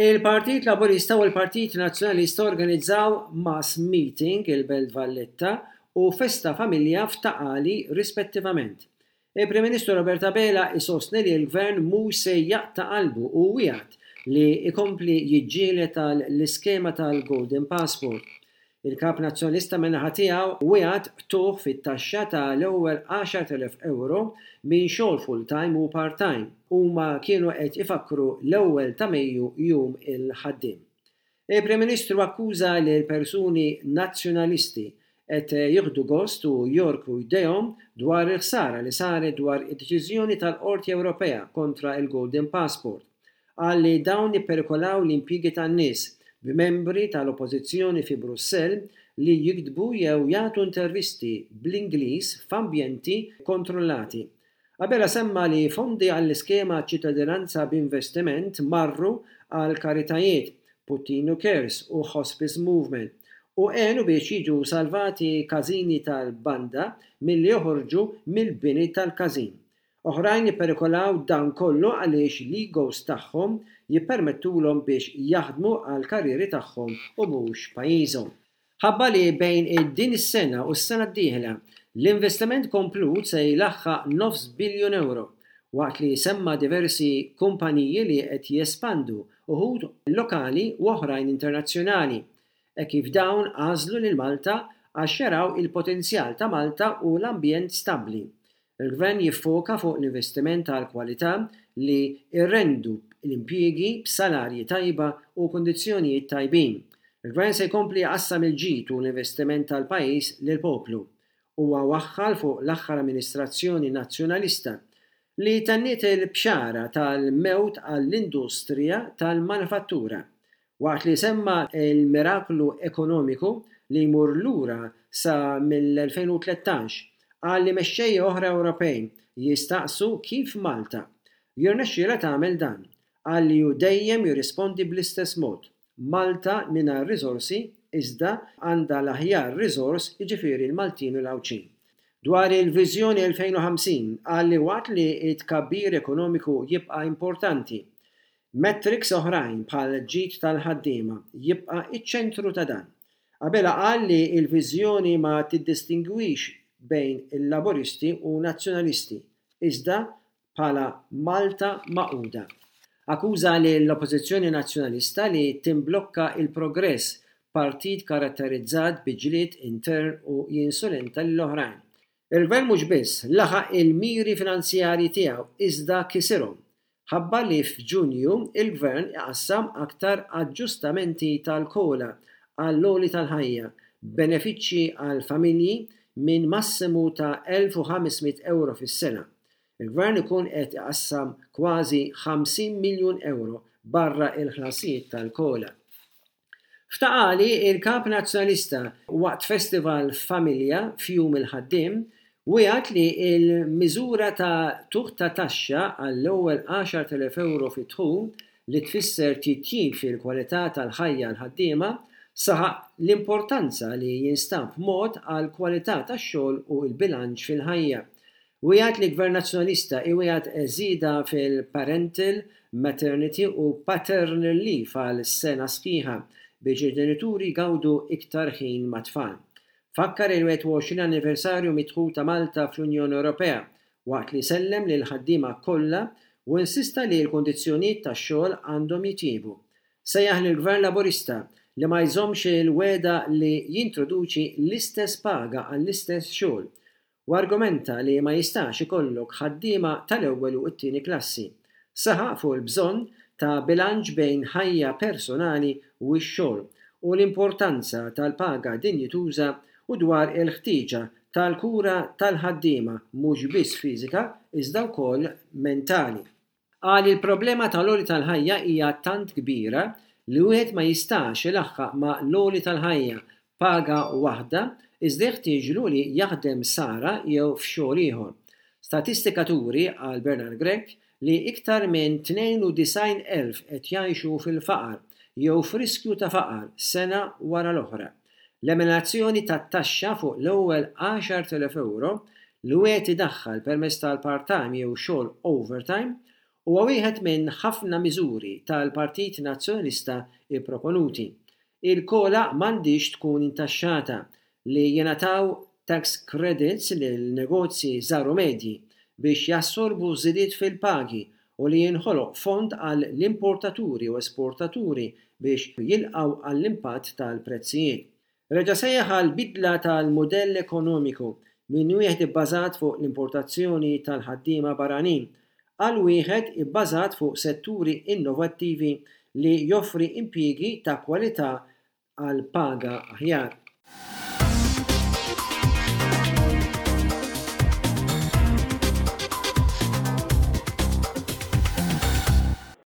Il-Partit Laburista u l-Partit Nazzjonalista organizzaw mass meeting il-Belt Valletta u festa familja f'Ta' Qali rispettivament. Il-Prim Ministru Robert Abela isostni li l-Gvern mhux se jaqta' qalbu u wiegħed li jkompli jiġġieled għal l-iskema tal-Golden Passport. Il-Kap Nazzjonalista min-naħa tiegħu wiegħed qtugħ fit-taxxa ta' l-ewwel 10,000 ewro minn xogħol full-time u part-time. Huma kienu qed ifakkru l-ewwel ta' Mejju Jum il-Ħaddiem. Il-Prim Ministru akkuża lil persuni Nazzjonalisti qed jieħdu gost u jogħrku jdejhom dwar il-ħsara li saret dwar id-deċiżjoni tal-Qorti Ewropea kontra l-Golden Passport. Qal li dawn ipperikolaw l-impjiegi tan-nies, b'membri tal-Oppożizzjoni fi Brussell li jiktbu jew jagħtu intervisti bl-Ingliż f'ambjenti kontrollati. Abela semma li fondi għall-iskema Ċittadinanza b'Investiment marru għal karitajiet, Puttinu Cares u Hospice Movement, u għenu biex jiġu salvati każini tal-banda milli joħorġu mill-bini tal-każin. Oħrajn jipperikolaw dan kollu għaliex l-egos tagħhom jippermettulhom biex jaħdmu għall-karrieri tagħhom u mhux pajjiżhom. Ħabbar li bejn din is-sena u s-sena d-dieħla, l-investiment komplut se jlaħħaq nofs biljun ewro, waqt li semma diversi kumpaniji li qed jespandu, uħud lokali u oħrajn internazzjonali, hekk kif dawn għażlu lil Malta għax jaraw il-potenzjal ta' Malta u l-ambjent stabbli. Il-Gvern jiffoka fuq l-investiment għall-kwalità li jrendu l-impjiegi b'salarji tajba u kundizzjonijiet tajbin. Il-Gvern se jkompli jqassam il-ġid u l-investiment tal-pajjiż lill-poplu. Huwa waħħal fuq l-aħħar amministrazzjoni Nazzjonalista li tenniet il-bxara tal-mewt għall-industrija tal-manifattura. Waqt li semma l-miraklu ekonomiku li jmur lura sa mill-2013, qal li mexxejja oħra Ewropej jistaqsu kif Malta jirnexxielha tagħmel dan. Qal li hu dejjem jirrispondi bl-istess mod, Malta mingħajr riżorsi iżda għandha l-aħjar riżors jiġifieri l-Maltin u l-Għawdxin. Dwar il-Viżjoni 2050 qal li waqt li t-tkabbir ekonomiku jibqa' importanti, Metrics oħrajn bħal ġid tal-ħaddiema jibqa' iċ-ċentru ta' dan. Abela qal li l-viżjoni ma tiddistingwix bejn il-Laburisti u Nazzjonalisti, iżda bħala Malta Magħquda. Akkuża lill-Oppożizzjoni Nazzjonalista li timblokka l-progress, partit karatterizzat bi ġlied intern u jinsulenta lill-oħrajn. Il-Gvern mhux biss laħaq il-miri finanzjarji tiegħu iżda kisirhom. Ħabbar li f'Ġunju il-Gvern iqassam aktar aġġustamenti tal-COLA għall-għoli tal-ħajja, b'benefiċċji għall-familji minn massimu ta' 1,500 ewro fis-sena. Il-Gvern ikun qed iqassam kważi 50 miljun ewro barra l-ħlasijiet tal-COLA. F'Ta' Qali, il-Kap Nazzjonalista waqt festival f'familja f'Jum il-Ħaddiem wiegħed li l-miżura ta' tuħ ta' taxxa għall-ewwel 10,000 ewro fid-dħul li tfisser titjib fil-kwalità tal-ħajja għall-ħaddiema, saħaq l-importanza li jinstab mod għall-kwalità tax-xogħol u l-bilanċ fil-ħajja. Wiegħed li Gvern Nazzjonalista iwiegħed żieda fil-parental, maternity u paternal leave għal sena sħiħa biex il-ġenituri jgawdu iktar ħin mat-tfal. Fakkar il-21 anniversarju mid-dħul ta' Malta fl-Unjoni Ewropea waqt li sellem lill-ħaddiema kollha u insista li l-kundizzjonijiet tax-xogħol għandhom jitjiebu. Sejjaħ lill-Gvern Laburista li ma jżommx il-wegħda li jintroduċi l-istess paga għall-istess xogħol u argumenta li ma jistax ikollok ħaddiema tal-ewwel u t-tieni klassi. Saħaq fuq il-bżonn ta' bilanċ bejn ħajja personali u x-xogħol u l-importanza tal-paga dinjituża u dwar il-ħtieġa tal-kura tal-ħaddiema mhux biss fiżika iżda wkoll mentali. Qal li l-problema tal-għoli tal-ħajja hija tant kbira li wieħed ma jistax ilaħħaq ma' l-għoli tal-ħajja b'paga waħda iżda jeħtieġlu li jaħdem sara jew f'xogħol ieħor. Statistika turi, qal Bernard Grech, li iktar minn 92,000 qed jgħixu fil-faqar jew f'riskju ta' faqar sena wara l-oħra. L-eliminazzjoni tat-taxxa fuq l-ewwel 10,000 ewro li wieħed idaħħal permezz tal-part-time jew xogħol overtime. Huwa wieħed minn ħafna miżuri tal-Partit Nazzjonalista pproponuti. Il-COLA m'għandhiex tkun intaxxata, li jingħataw tax credits lil negozji żgħar u medji biex jassorbu żidiet fil-pagi u li jinħoloq fond għal l-importaturi u esportaturi biex jilqgħu għall-impatt tal-prezzijiet. Reġa' sejjaħ għal bidla tal-mudell ekonomiku minn wieħed ibbażat fuq l-importazzjoni tal-ħaddiema barranin għal wieħed ibbażat fuq setturi innovattivi li joffri impjiegi ta' kwalità għal paga aħjar.